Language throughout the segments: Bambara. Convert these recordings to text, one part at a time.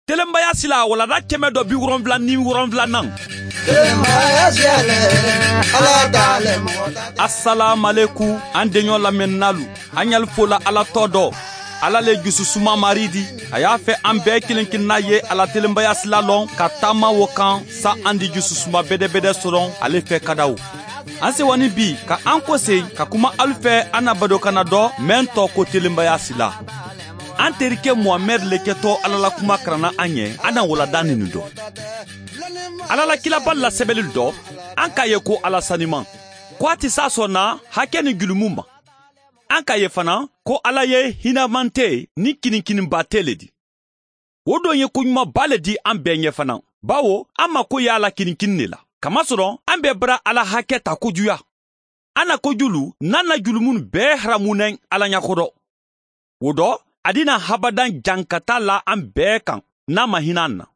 Telenbaya sila walada 177nan. Assalamu an denɲɔ lamɛnnalu, an y'al fola Ala tɔ dɔ. Ala le jususuma maridi, a y'a fɛ an bɛɛ kelen kelenna ye ala telenbaya sila lɔn ka taama wo kan sa an di jususuma bɛdɛbɛdɛ sɔrɔ ale fɛ kadaw. An sewani bi ka an kɔse ka kuma alu fɛ an na badokana dɔ mɛn tɔ ko telenbaya sila. An terikɛ Muhamɛd le kɛtɔ Ala la kuma karanna an ɲɛ, an na walada nin dɔ. Ala la kilaba la sɛbɛnni dɔ, an k'a ye ko Ala saniman. Ko a tɛ s'a sɔnna hakɛ ni julumu ma. An k'a ye fana ko Ala ye hinɛmante ni kininkiniba tɛ le di. O don ye koɲumanba le di an bɛɛ ɲɛ fana. Bawo an mako y'a la kininkini de la. Kamasɔrɔ an bɛɛ bara Ala hakɛ ta kojuya. An na kojulu n'an na julumun bɛɛ haramunɛ Ala ɲɛkɔrɔ. O dɔ a dina habadan jankata la an bɛɛ kan n'a ma hinɛ an na.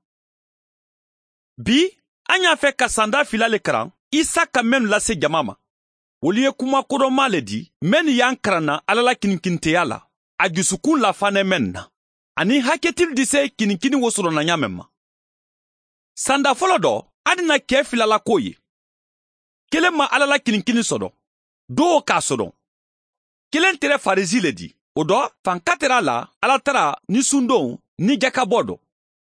Bi an y'a fɛ ka sanda fila le karan Isa ka mɛnnu lase jama ma. Olu ye kuma kodɔnma le di mɛnnu y'an karanna Ala la kininkinteya la, a jusukun lafanɛ mɛn na, ani hakɛtili di se kininkini wo sɔrɔ na ɲa mɛn ma. Sanda fɔlɔ dɔ, an dina kɛ fila la ko ye. Kelen ma Ala la kininkini sɔrɔ, dɔw k'a sɔrɔ. Kelen tɛrɛ Farisi le di, o dɔ fanka tɛrɛ a la Ala tara ni sundon ni jakabɔ dɔ.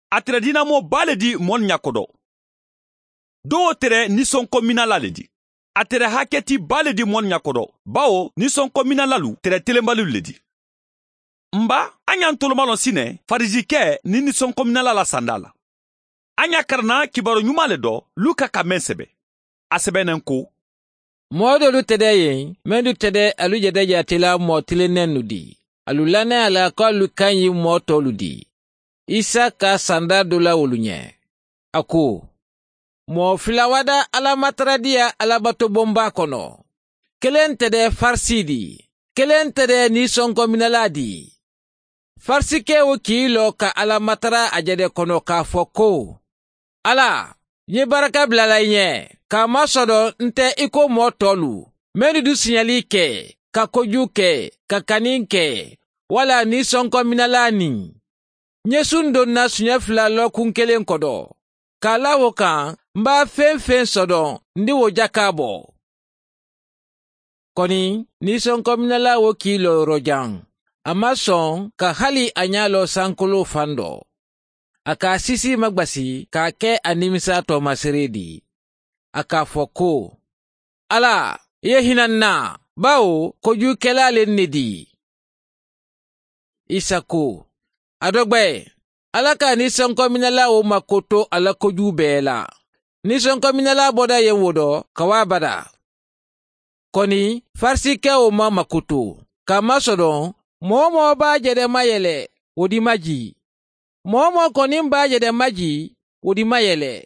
A tɛrɛ dinamɔ ba le di mɔni ɲakɔdɔ. Dɔw tɛrɛ nisɔnkɔminala le di. A tɛrɛ hakɛti ba le di mɔni ɲakɔdɔ, bawo nisɔnkɔminalalu tɛrɛ telenbaliw le di. Nba an y'an tolomalɔ sinɛ Farizikɛ ni nisɔnkɔminala la sanda la. An y'a karanna kibaru ɲuman le dɔ Luka ka mɛn sɛbɛ. A sɛbɛnnen ko: Mɔɔ dɔlu tɛ dɛ yen, mɛnnu tɛ dɛ alu jɛdɛ jatela mɔɔ tilennɛnnu di. Alu lanɛ a la ko alu ka ɲi mɔɔ tɔlu di. Isa ka sanda dɔ la olu ɲɛ. A ko: mɔɔ fila wada Ala mataradiya alabatobonba kɔnɔ. Kelen tɛ dɛ Farisi di, kelen tɛ dɛ nisɔnkɔminala di. Farisikɛ wo k'i lɔ ka Ala matara a jɛdɛ kɔnɔ k'a fɔ ko: Ala, n ye baraka bila la i ɲɛ, k'a masɔrɔ n tɛ i ko mɔɔ tɔlu, mɛnnu du siɲɛli kɛ, ka kojugu kɛ, ka kani kɛ, wala nisɔnkɔminala nin. N ye sun donna siɲɛ fila lɔkun kelen kɔdɔ. K'a la o kan, n b'a fɛn fɛn sɔdɔn, n di o jaka bɔ. Kɔni, nisɔnkɔminala wo k'i lɔ yɔrɔ jan. A ma sɔn ka hali a ɲa lɔ sankolo fan dɔ. A k'a sisi magbasi k'a kɛ a nimisa tɔmasere di. A k'a fɔ ko: Ala, i ye hinɛ n na, bawo kojugukɛla le ne di. Isa ko: a dɔ gbɛ, Ala ka nisɔnkɔminala o mako to a la kojugu bɛɛ la. Nisɔnkɔminala bɔda yen wo dɔ ka wa bada. Kɔni, Farisikɛ o ma mako to, k'a masɔrɔ mɔɔ mɔɔ b'a jɛdɛ mayɛlɛ, o di ma ji. Mɔɔ mɔɔ kɔni b'a jɛdɛ maji, o di mayɛlɛ.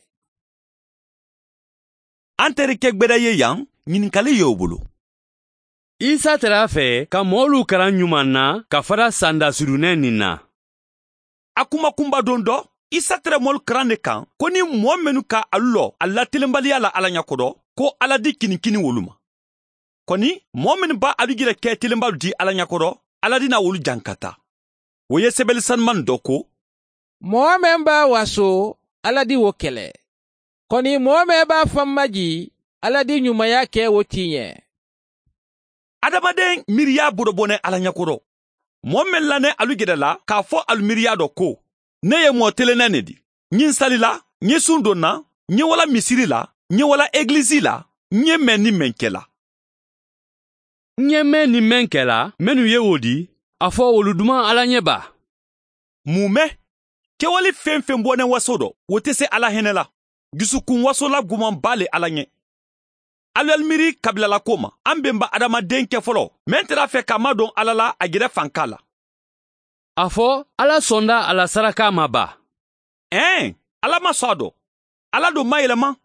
An terikɛ gbɛdɛ ye yan, ɲininkali y'o bolo. Isa tɛrɛ a fɛ ka mɔɔlu karan ɲuman na ka fara sanda surunnɛ nin na. A kuma kunba don dɔ, Isa tɛrɛ mɔlu karan de kan ko ni mɔɔ minnu ka alu lɔ a latelenbaliya la Ala ɲɛkɔrɔ, ko Ala di kinikini wolu ma. Kɔni, mɔɔ minnu b'a alu jira kɛ telenbalu di Ala ɲɛkɔrɔ, Ala dina wolu jankata. O ye sɛbɛnni sanuman dɔ ko: mɔɔ mɛn b'a waso, Ala di wo kɛlɛ. Kɔni mɔɔ mɛn b'a fan maji, Ala di ɲumanya kɛ o tiɲɛ. Adamaden miiriya bodobɔnɛ Ala ɲɛkɔrɔ. Mɔɔ mɛn lanɛ alu gɛrɛ la k'a fɔ alu miiriya dɔ ko: ne ye mɔɔ telennɛ ne di. N ye sali la, n ye sun donna, n ye wala misiri la, n ye wala egilizi la, n ye mɛn ni mɛn kɛ la. N ye mɛn ni mɛn kɛ la, mɛnnu ye o di, a fɔ olu duman Ala ɲɛ ba. Mun mɛ? Kɛwale fɛn fɛn bɔnɛ waso dɔ, o tɛ se Ala hinɛ la. Dusukun waso la gumanba le Ala ɲɛ. Alu miiri kabilala ko ma, an bɛnba adamaden kɛ fɔlɔ, mɛn tɛr'a fɛ k'a madɔn Ala la a gɛrɛ fanka la. A fɔ Ala sɔnda a la saraka ma ba. Ɛn, Ala ma sɔn a dɔ. Ala don ma yɛlɛma.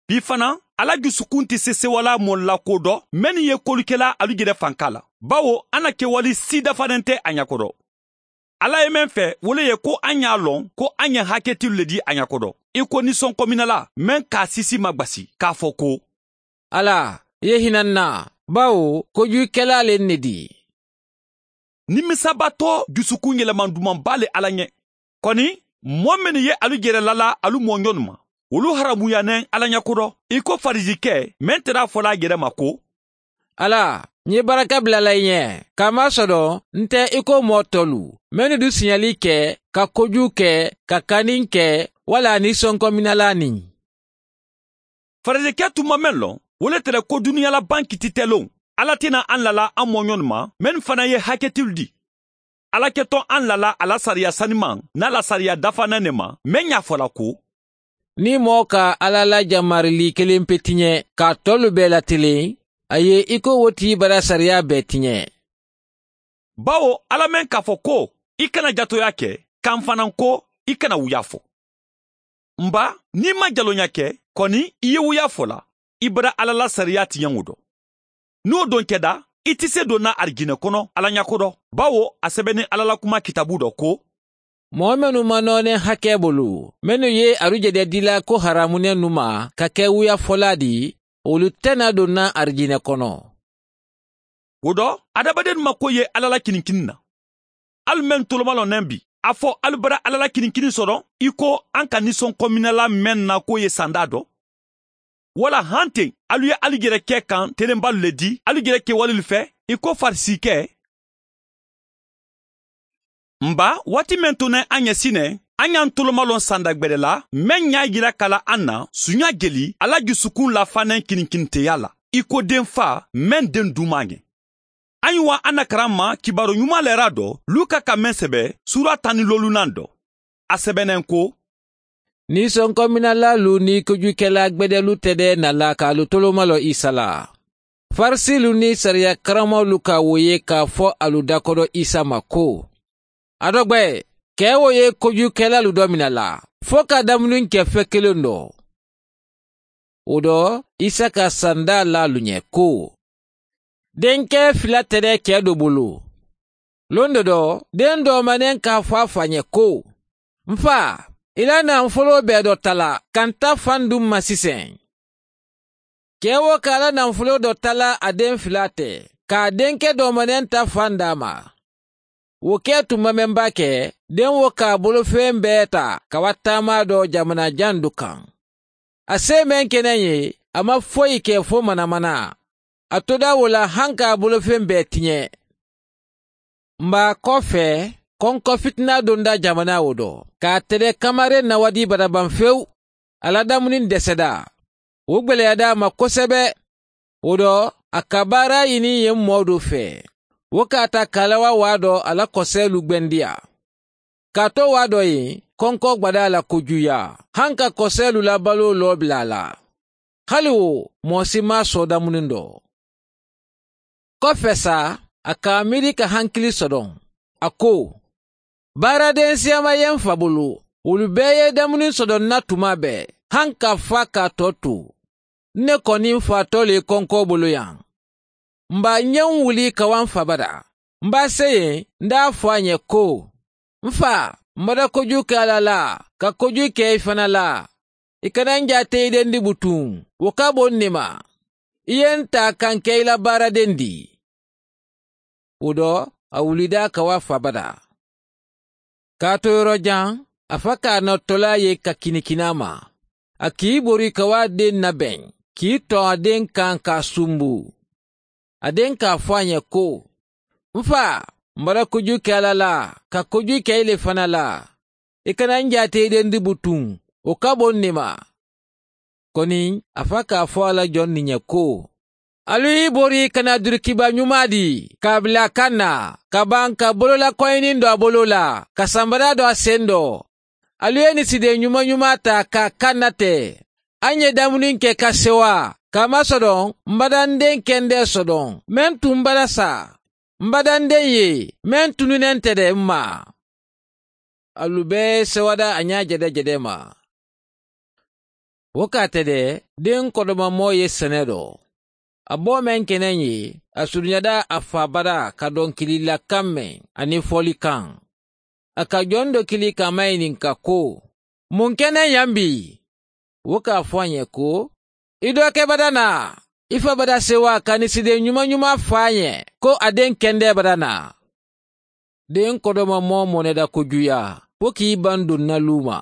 Bi fana, Ala dusukun tɛ se sewala mɔlila ko dɔ, mɛnni ye kolikɛla alu gɛrɛ fanka la. Bawo an na kɛwale si dafalen tɛ a ɲɛkɔrɔ. Ala ye mɛn fɛ, o le ye ko an y'a lɔn ko an ye hakɛtiw le di a ɲɛkɔrɔ. I ko nisɔnkɔminala, mɛn k'a sisi ma gbasi, k'a fɔ ko: Ala, i ye hinɛ n na, bawo kojugukɛla le ne di. Nimisabatɔ dusukun yɛlɛman dumanba le Ala ɲɛ. Kɔni, Mɔɔ minnu ye alu jɛrɛ lala alu mɔɲɔnu ma, olu haramuyanen Ala ɲɛko dɔ, i ko Farizikɛ mɛn tɛra fɔla a yɛrɛ ma ko: Ala, n ye baraka bilala i ɲɛ, k'a masɔrɔ n tɛ i ko mɔɔ tɔlu, minnu du siɲɛli kɛ, ka kojugu kɛ, ka kanni kɛ, wala nisɔnkɔminala nin. Farizikɛ tun ma mɛn lɔn, o le tɛrɛ ko duniyala ban kiti tɛ lon. Ala tɛna an lala an mɔɲɔnu ma, mɛn fana ye hakɛtilu di. Ala kɛtɔ an lala a la sariya saniman n'a la sariya dafanan ne ma, mɛn y'a fɔla ko: Ni mɔɔ ka Ala la jamarili kelen pe tiɲɛ, k'a tɔlu bɛɛ latelen, a ye i ko wo tigi bara sariya bɛɛ tiɲɛ. Bawo Ala mɛn k'a fɔ ko i kana jatoya kɛ, k'an fana ko i kana wuya fɔ. Nba, n'i ma jalonya kɛ, kɔni i ye wuya fɔ la, i bara Ala la sariya tiɲɛ o dɔ. N'o don kɛda, i tɛ se donna arijinɛ kɔnɔ Ala ɲɛko dɔ, bawo a sɛbɛnni Ala la kuma kitabu dɔ ko: Mɔgɔ minnu ma nɔɔnɛ hakɛ bolo, minnu ye arujɛdɛ dila ko haramunɛ nu ma ka kɛ wuya fɔla di, olu tɛna donna arijinɛ kɔnɔ. O dɔ, adamaden ma ko ye Ala la kinikini na. Alu mɛn tolomalɔnɛ bi, a fɔ alu bara Ala la kinikini sɔrɔ, i ko an ka nisɔnkɔminɛla mɛn na ko ye sanda dɔ. Wala han ten, alu ye alu yɛrɛ kɛ kan telenbalu le di, alu yɛrɛ kɛwalelu fɛ, i ko Farisikɛ. Nba, waati mɛn to nɛ an ɲɛ sinɛ, an y'an tolomalɔn sanda gbɛrɛ la, mɛn y'a yira kala an na, sunya jeli, Ala jusukun lafanɛ kinikiniteya la, i ko den fa, mɛn den duman ɲɛ. An ye wa an na karan ma kibaro ɲuman lɛra dɔ, Luka ka mɛn sɛbɛ, sura 15 dɔ. A sɛbɛnɛn ko: Nisɔnkɔminalalu ni kojukɛla gbɛdɛlu tɛ dɛ nala k'alu tolomalɔ Isa la. Farisilu ni sariya karamɔgɔlu ka wo ye k'a fɔ alu dakɔrɔ Isa ma ko: A dɔgbɛ, kɛ wo ye kojukɛlalu dɔ minɛ la, fo ka dumuni kɛ fɛn kelen dɔ. O dɔ, Isa ka sanda l'alu ɲɛ ko: Denkɛ fila tɛ dɛ cɛ dɔ bolo. Lon dɔ dɔ, den dɔ manen k'a fɔ a fa ɲɛ ko: N fa, i la nafolo bɛɛ dɔ ta la, ka n ta fan dun ma sisan. Cɛ wo k'a la nafolo dɔ ta la a den fila tɛ, k'a denkɛ dɔ manen ta fan d'a ma. Wo kɛ tuma mɛn b'a kɛ, den wo k'a bolofɛn bɛɛ ta ka wa taama dɔ jamana jan dɔ kan. A se mɛn kɛnɛ ye, a ma foyi kɛ fo manamana. A toda wo la han k'a bolofɛn bɛɛ tiɲɛ. Nba kɔfɛ, kɔnkɔ fitina donda jamana wo dɔ, k'a tɛrɛ kamaren nawadi baraban fewu, a ladamuni dɛsɛda. O gwɛlɛyada a ma kosɛbɛ. O dɔ, a ka baara ɲini yen mɔɔ dɔ fɛ. Wo k'a ta kalawa waa dɔ a la kɔsɛlu gwɛndiya. K'a to waa dɔ yen, kɔnkɔ gwada a la kojuya, han ka kɔsɛlu labalo lɔ bila a la. Hali wo, mɔɔ si ma sɔn damuni dɔ. Kɔfɛ sa, a k'a miiri ka hankili sɔrɔ. A ko: Baaraden siyama ye n fa bolo, olu bɛɛ ye dumuni sɔrɔ n na tuma bɛɛ, han ka fa k'a tɔ to. Ne kɔni fatɔ le kɔnkɔ bolo yan. N b'a ɲɛ n wuli ka wa n fa bara. N b'a se yen, n t'a fɔ a ɲɛ ko: N fa, n bada kojugu kɛ Ala la, ka kojugu kɛ i fana la. I kana n jate i den di butun, o ka bon ne ma. I ye n ta ka n kɛ i la baaraden di. O dɔ, a wulida ka wa fa bara. K'a to yɔrɔ jan, a fa k'a nɔtɔla ye ka kinikina ma. A k'i bori ka wa den labɛn, k'i tɔn a den kan k'a sunbu. A den k'a fɔ a ɲɛ ko: N fa, n bɔra kojugu kɛ Ala la, ka kojugu kɛ i le fana la. I kana n jate i den di butun, o ka bon ne ma. Kɔni, a fa k'a fɔ a la jɔn nin ɲɛ ko: Alu y'i bori ka na durukiba ɲuman di, k'a bila kan na, ka ban ka bolola kɔɲini don a bolo la, ka sanbara don a sen dɔ. Alu ye nisiden ɲuman ɲuman ta k'a kan na tɛ. An ye dumuni kɛ ka sewa, k'a masɔrɔ n badanden kɛndɛ sɔrɔ, mɛn tun bara sa. N badanden ye, mɛn tununen tɛ dɛ n ma. Alu bɛɛ sewada a ɲa jɛdɛjɛdɛ ma. O k'a tɛ dɛ, den kɔdɔmamɔ ye sɛnɛ dɔ. A bɔ mɛn kɛnɛ ye, a surunyada a fa bara ka dɔnkililakan mɛn ani fɔlikan. A ka jɔn dɔ kili k'a maɲininka ko: Mun kɛnɛ yan bi? O k'a fɔ a ɲɛ ko: I dɔkɛ bada na, i fa bada sewa ka nisiden ɲuman ɲuman f'a ɲɛ ko a den kɛndɛ bada na. Den kɔdɔmamɔ mɔnɛda kojuya. fo k'i ban donna lu ma.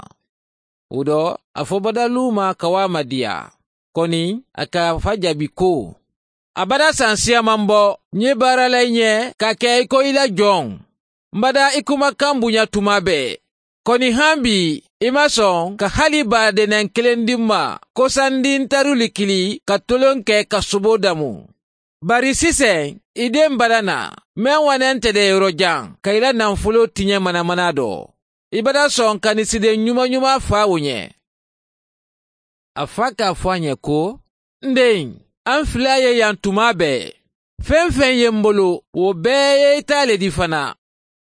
O dɔ, a fɔ bada lu ma ka wa madiya. Kɔni, a k'a fa jaabi ko, a bada san siyaman bɔ, n ye baara la i ɲɛ ka kɛ i ko i la jɔn. N bada i kumakan bonya tuma bɛɛ. Kɔni han bi, i ma sɔn ka hali badenɛn kelen di n ma, ko sandi n taruli kili ka tolon kɛ ka sobo damu. Bari sisan, i den bada na, mɛn wanɛn tɛ dɛ yɔrɔ jan, ka i la nafolo tiɲɛ manamana dɔ. I bada sɔn ka nin siden ɲuman ɲuman fa o ɲɛ. A fa k'a fɔ a ɲɛ ko, n den, an fila ye yan tuma bɛɛ. Fɛn fɛn ye n bolo, o bɛɛ ye i ta le di fana.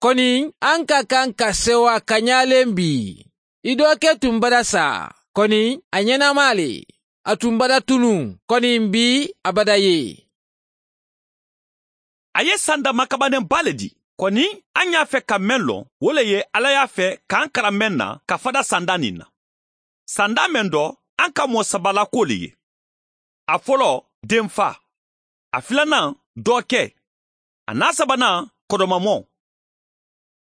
Kɔni, an ka kan ka sewa ka ɲalen bi. I dɔkɛ tun bada sa, kɔni, a ɲɛnama le. A tun bada tunu, kɔni bi a bada ye. A ye san dama kabanen ba le di. Kɔni, an y'a fɛ ka mɛn lɔn, o le ye Ala y'a fɛ k'an kalan mɛn na ka fada sanda nin na. Sanda mɛn dɔ, an ka mɔ sabala ko le ye. A fɔlɔ, denfa. A filanan, dɔkɛ. A n'a sabanan, kɔdɔmamɔ.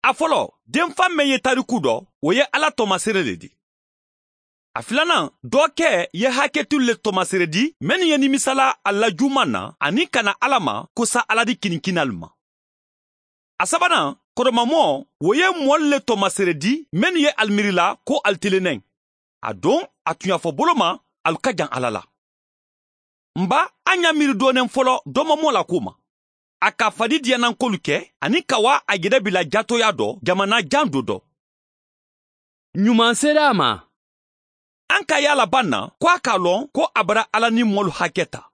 A fɔlɔ, denfa mɛn ye tariku dɔ, o ye Ala tɔmasere le di. A filanan, dɔkɛ ye hakɛtu le tɔmasere di, mɛnnu ye nimisala a la juman na, ani ka na Ala ma kosa Ala di kinikinalu ma. A sabanan, kɔdɔmamɔ, o ye mɔli le tɔmasere di, mɛnnu ye alimiirila ko alitelennɛn. A don, a tun y'a fɔ bolo ma, alu ka jan Ala la. Nba, an y'a miiri dɔɔnin fɔlɔ dɔmamɔ la ko ma. A ka fadi diyanankolu kɛ, ani ka wa a yɛrɛ bila jatoya dɔ, jamana jan do dɔ. Ɲuman sera a ma. An ka y'a laban na, ko a k'a lɔn ko a bara Ala ni mɔlu hakɛ ta.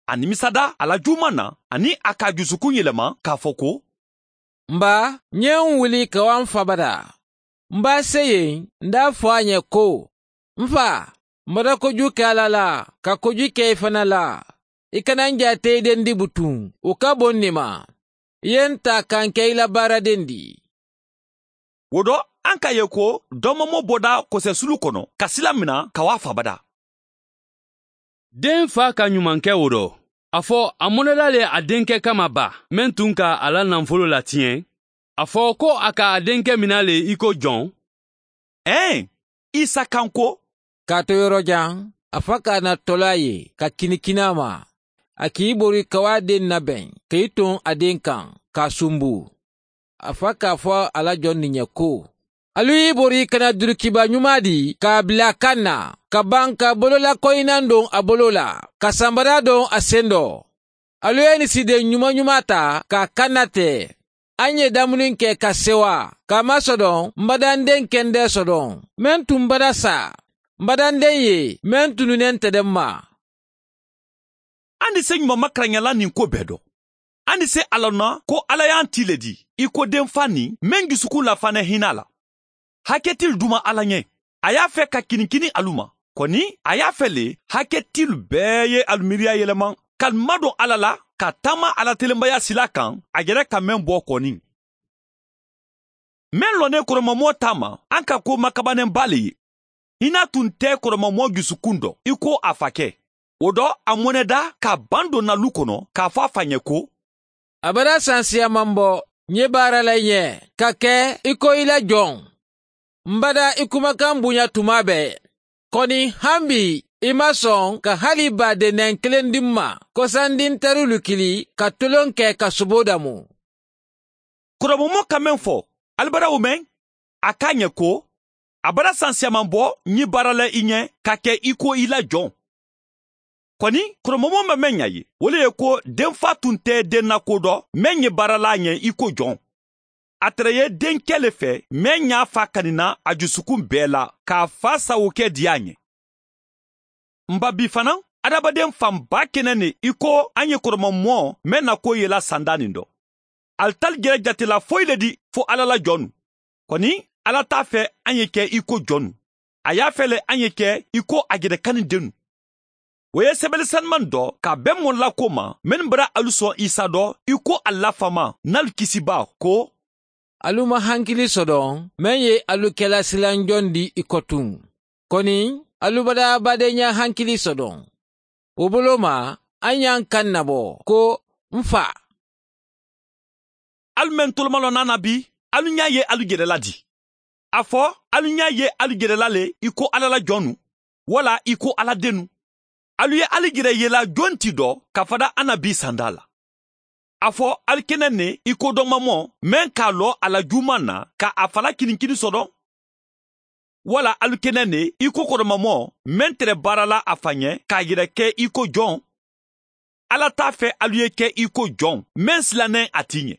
A nimisada a la juman na, ani a k'a dusukun yɛlɛma k'a fɔ ko, N ba, n ye n wuli ka wa n fa bada. N b'a se yen, n d'a fɔ a ɲɛ ko, n fa, n bada kojugu kɛ Ala la, ka kojugu kɛ i fana la. I kana n jate i den di butun, o ka bon nin ma. I ye n ta k'an kɛ i la baaraden di. O dɔ, an k'a ye ko dɔmɔmɔ bɔda kɔsɛsulu kɔnɔ ka sila mina ka wa fabada. Den fa ka ɲuman kɛ o dɔ. A fɔ a mɔnɛla le a denkɛ kama ba, mɛn tun ka a la nafolo latiɲɛ. A fɔ ko a ka a denkɛ mina le i ko jɔn. Ɛn, Isa kan ko. K'a to yɔrɔ jan, a fa k'a na tɔla ye ka kinikina ma. A k'i bori ka wa den nabɛn, k'i ton a den kan, k'a sunbu. A fa k'a fɔ a la jɔn nin ɲɛ ko, alu y'i bori ka na durukiba ɲuman di k'a bila kan na, ka ban ka bololakɔyinan don a bolo la, ka sanbara don a sen dɔ. Alu ye nin siden ɲuman ɲuman ta k'a kan na tɛ. An ye damuni kɛ ka sewa, k'a masɔdɔn, n badanden kɛndɛ sɔdɔn. Mɛn tun bada sa, n badanden ye, mɛn tununen tɛ dɛ ma. An ni se ɲuman makaranyala nin ko bɛɛ dɔ. An ni se ala na ko Ala y'an ti le di, i ko denfa nin, mɛn dusukun lafanɛ hinɛ la. Hakɛtil duma Ala ɲɛ. A y'a fɛ ka kinikini alu ma. Kɔni, a y'a fɛ le, hakɛtil bɛɛ ye alu miiriya yɛlɛma, ka madon Ala la, ka taama Ala telenbaya sila kan, a yɛrɛ ka mɛn bɔ kɔni. Mɛn lɔnnen kɔrɔmamɔ ta ma, an ka ko makabanɛnba le ye. Hinɛ tun tɛ kɔrɔmamɔ dusukun dɔ, i ko a fakɛ. O dɔ, a mɔnɛda ka ban don nalu kɔnɔ, k'a fɔ a fa ɲɛ ko, A bara san siyaman bɔ, n ye baara la i ɲɛ, ka kɛ i ko i la jɔn. N bada i kumakan bonya tuma bɛɛ. Kɔni han bi, i ma sɔn ka hali badenɛn kelen di n ma, ko sandi n terilu kili ka tolon kɛ ka sobo damu. Kɔrɔmɔmɔ ka mɛn fɔ, alibara o mɛn, a k'a ɲɛ ko, a bara san siyaman bɔ n ye baara la i ɲɛ ka kɛ i ko i la jɔn. Kɔni, kɔrɔmɔmɔ ma mɛn ɲa ye, o le ye ko denfa tun tɛ den na ko dɔ, mɛn ye baara la ɲɛ i ko jɔn. A tɛrɛ ye denkɛ le fɛ, mɛn y'a fa kanina a dusukun bɛɛ la, k'a fa sago kɛ diya ɲɛ. Nba bi fana, adamaden fanba kɛnɛ ne i ko an ye kɔrɔmɔmɔ mɛn na ko yela sanda nin dɔ. Alitali jɛrɛ jatela foyi le di fo Ala la jɔnnu. Kɔni, Ala t'a fɛ an ye kɛ i ko jɔnnu. A y'a fɛ le an ye kɛ i ko a yɛrɛ dennu. O ye sɛbɛnni sanuman dɔ ka bɛn mɔla ko ma, minnu bara alu sɔn Isa dɔ, i ko a lafama n'alu kisiba ko, Alu ma hankili sɔdɔn, mɛn ye alu kɛla silanjɔn di i kɔtun. Kɔni, alu bada badenya hankili sɔdɔn. O bolo ma, an y'an kan nabɔ ko n fa. Alu mɛn tolomalɔ n'a na bi, alu ɲa ye alu yɛrɛ la di. A fɔ alu ɲa ye alu yɛrɛla le i ko Ala la jɔnnu, wala i ko Ala dennu. Alu ye alu yɛrɛ yela jon ti dɔ ka fada an na bi sanda la. A fɔ alu kɛnɛ ne i ko dɔnmamɔ mɛn k'a lɔ a la juman na ka a fala kininkini sɔdɔn. Wala alu kɛnɛ ne i ko kɔrɔmamɔ mɛn tɛrɛ baara la a fa ɲɛ k'a yɛrɛ kɛ i ko jɔn. Ala t'a fɛ alu ye kɛ i ko jɔn mɛn silannen a ti ɲɛ.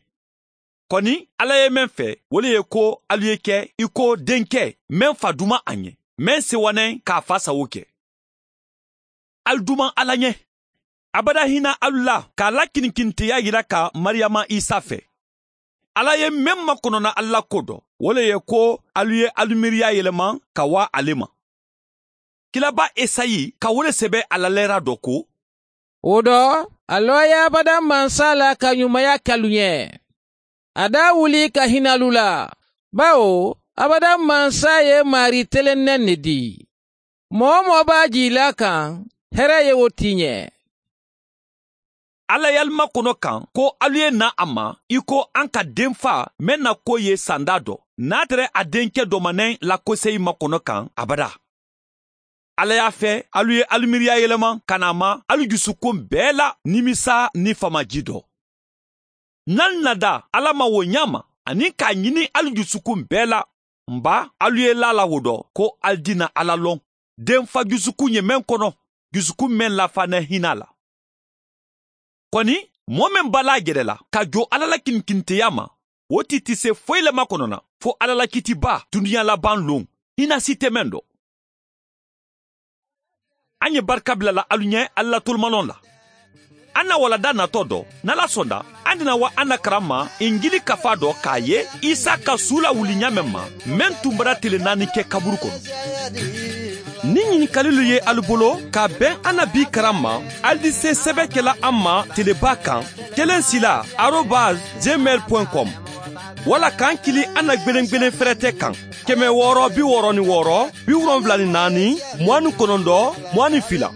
Kɔni Ala ye mɛn fɛ o le ye ko alu ye kɛ i ko denkɛ mɛn fa duman a ɲɛ, mɛn sewanen k'a fa sago kɛ. Alu duman Ala ɲɛ. Abada hinɛ alu la k'a la kininkinteya yira ka Mariyama Isa fɛ. Ala ye mɛn makɔnɔna alu la ko dɔ, o le ye ko alu ye alu miiriya yɛlɛma ka wa ale ma. Kilaba Esayi ka o le sɛbɛ a la lɛra dɔ ko: O dɔ, a lɔya abada mansa la ka ɲumanya k'alu ɲɛ. A da wuli ka hinɛ alu la, bawo abada mansa ye mari telennɛn ne di. Mɔgɔ o mɔgɔ b'a jila kan, hɛrɛ ye o ti ɲɛ. Ala y'alu makɔnɔ kan ko alu ye na a ma i ko an ka denfa mɛn na ko ye sanda dɔ, n'a tɛrɛ a denkɛ dɔmanɛ lakoseyi makɔnɔ kan abada. Ala y'a fɛ alu ye alu miiriya yɛlɛma ka na ma alu dusukun bɛɛ la nimisa ni famaji dɔ. N'alu nada Ala ma o ɲa ma ani k'a ɲini alu dusukun bɛɛ la, nba alu ye la la o dɔ ko alu dina Ala lɔn. Denfa dusukun ye mɛn kɔnɔ, dusukun mɛn lafanɛ hinɛ la. Kɔni mɔɔ min b'a la yɛrɛ la ka jɔ Ala la kinkinteya ma, o ti ti se foyi le makɔnɔ na fo Ala la kitiba dunuya laban lon, hinɛ si tɛ mɛn dɔ. An ye barika bila la alu ɲɛ Ala la tolomalɔn la. An na walada natɔ dɔ, n'Ala sɔnna, an dina wa an na karan ma Injili kafa dɔ k'a ye Isa ka su lawuli ɲa mɛn ma, mɛn tun bara tele naani kɛ kaburu kɔnɔ. Ni ɲininkalilu ye alu bolo ka bɛn an na bi karan ma, alu di se sɛbɛ kɛla an ma teleba kan 16 @gmail.com wala k'an kili an na gwelen fɛrɛtɛ kan 666 74 29 22.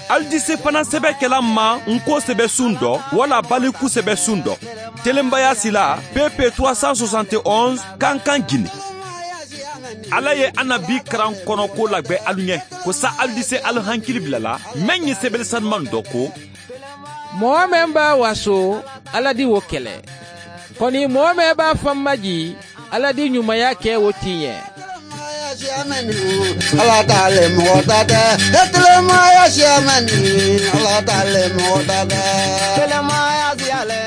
Alu di se fana sɛbɛ kɛla ma nko sɛbɛ sun dɔ wala baliku sɛbɛ sun dɔ. Telenbaya sila PP 371 Kankan Guinée. Ala ye an na bi karan kɔnɔ ko lagbɛ alu ɲɛ, ko sa alu di se alu hankili bila la mɛn ye sɛbɛli sanuman dɔ ko: Mɔgɔ mɛn b'a waso, Ala di o kɛlɛ. Kɔni mɔgɔ mɛn b'a fan maji, Ala di ɲumanya kɛ o ti ɲɛ. Ala t'ale mɔgɔ ta tɛ, telemaya siyamani, Ala t'ale mɔgɔ ta tɛ, telemaya siyalɛ.